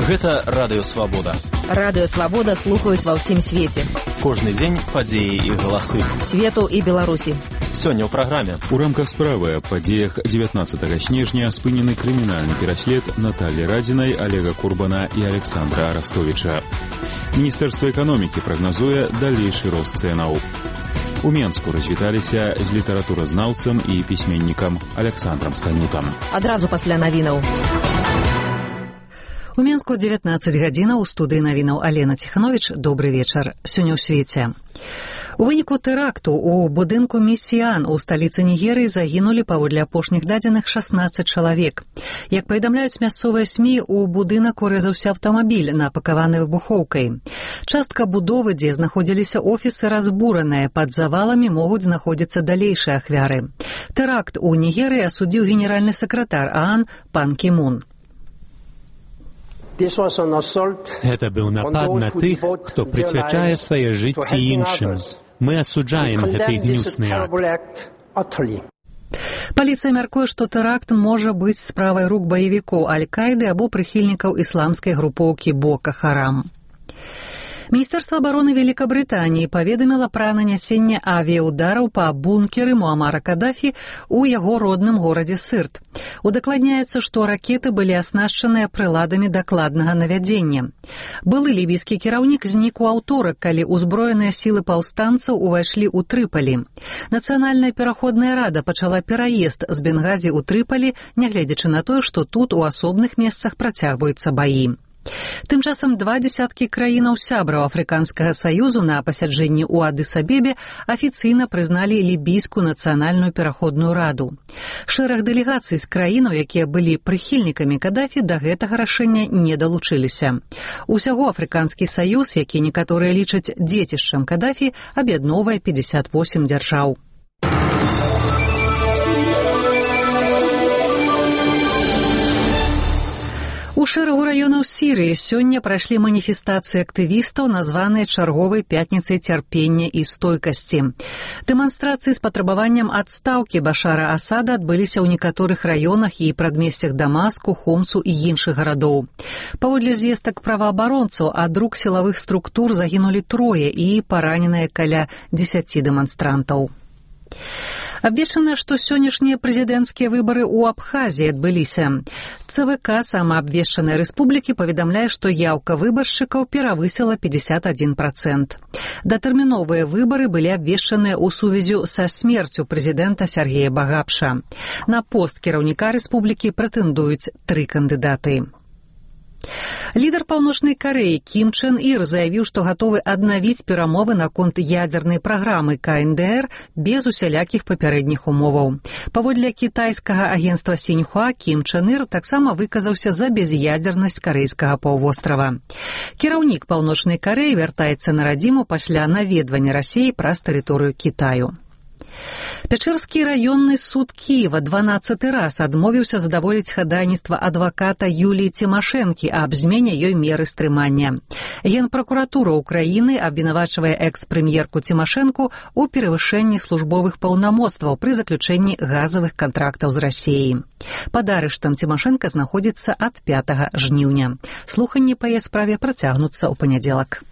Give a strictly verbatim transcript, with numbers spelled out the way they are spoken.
Гэта Радыё Свабода. Радыё Свабода слухаюць ва ўсім свеце. Кожны дзень падзеі і галасы. Свету і Беларусі. Сёння ў праграме. У рамках справы аб падзеях дзевятнаццатага снежня спынены крымінальны пераслед Натальі Радзінай, Олега Курбана і Александра Арастовіча. Міністэрства эканомікі прагназуе далейшы рост цэнаў. У Менску развіталіся з літаратуразнаўцам і пісьменнікам Александрам Станютам. Адразу пасля навінаў. У Менску дзевятнаццаць гадзінаў, у студыі навінаў Алена Ціхановіч. Добры вечар. Сёння ў свеце. У выніку тэракту у будынку Місіян у сталіцы Нігерыі загінулі, паводле апошніх дадзеных, шаснаццаць чалавек. Як паведамляюць мясцовыя СМІ, у будынак урэзаўся аўтамабіль, напакаваны выбухоўкай. Частка будовы, дзе знаходзіліся офісы, разбураныя. Пад заваламі могуць знаходзіцца далейшыя ахвяры. Тэракт у Нігерыі асудзіў генеральны сакратар ААН пан Кі-мун. Гэта быў напад на тых, хто прысвячае свае жыцці іншым. Мы асуджаем гэты гнюсны акт. Паліцыя мяркуе, што тэракт можа быць справай рук баевікоў Аль-Каіды або прыхільнікаў ісламскай групоўкі Бока Харам. Міністэрства абароны Великабрытаніі паведаміла пра нанясенне авіяудараў па бункеры Муамара Кадафі ў яго родным горадзе Сырт. Удакладняецца, што ракеты былі аснашчаныя прыладамі дакладнага навядзення. Былы лібійскі кіраўнік знік у аўторак, калі ўзброеныя сілы паўстанцаў увайшлі ў Трыпалі. Нацыянальная пераходная рада пачала пераезд з Бенгазі ў Трыпалі, нягледзячы на тое, што тут у асобных месцах працягваюцца баі. Тым часам два дзесяткі краінаў сябраў Афрыканскага саюзу на пасяджэнні ў Адыс-Абебе афіцыйна прызналі лібійскую нацыянальную пераходную раду. Шэраг дэлегацый з краінаў, якія былі прыхільнікамі Кадафі, да гэтага рашэння не далучыліся. Усяго Афрыканскі саюз, які некаторыя лічаць дзецішчам Кадафі, аб'ядноўвае пятьдесят восемь дзяржаў. У шэрагу раёнаў Сірыі сёння прайшлі маніфестацыі актывістаў, названыя чарговай пятніцай цярпення і стойкасці. Дэманстрацыі з патрабаваннем адстаўкі Башара Асада адбыліся ў некаторых раёнах і прадмесцях Дамаску, Хомсу і іншых гарадоў. Паводле звестак праваабаронцаў, ад рук сілавых структур загінулі трое і параненыя каля дзесяці дэманстрантаў. Абвешчана, што сённяшнія прэзідэнцкія выбары ў Абхазіі адбыліся. ЦВК самаабвешчанай рэспублікі паведамляе, што яўка выбаршчыкаў перавысіла пятьдесят один процент. Датэрміновыя выбары былі абвешчаныя ў сувязі са смерцю прэзідэнта Сергея Багапша. На пост кіраўніка рэспублікі прэтэндуюць тры кандыдаты. Лідар Паўночнай Карэі Кім Чен Ір заявіў, што гатовы аднавіць перамовы наконт ядернай праграмы Ка Эн Дэ Эр без усялякіх папярэдніх умоваў. Паводле кітайскага агенцтва Сіньхуа, Кім Чен Ір таксама выказаўся за без'ядернасць карэйскага паўвострава. Кіраўнік Паўночнай Карэі вяртаецца на радзіму пасля наведвання Расіі праз тэрыторыю Кітаю. Пячэрскі раённы суд Кіева дванаццаты раз адмовіўся задаволіць хадайніцтва адваката Юліі Цімашэнкі аб змене ёй меры стрымання. Генпракуратура ўкраіны абвінавачвае экс-прэм'ерку Цімашэнку ў перавышэнні службовых паўнамоцтваў пры заключэнні газавых кантрактаў з Расіяй. Пад арыштам Цімашэнка знаходзіцца ад пятага жніўня. Слуханні па яе справе працягнуцца ў панядзелак.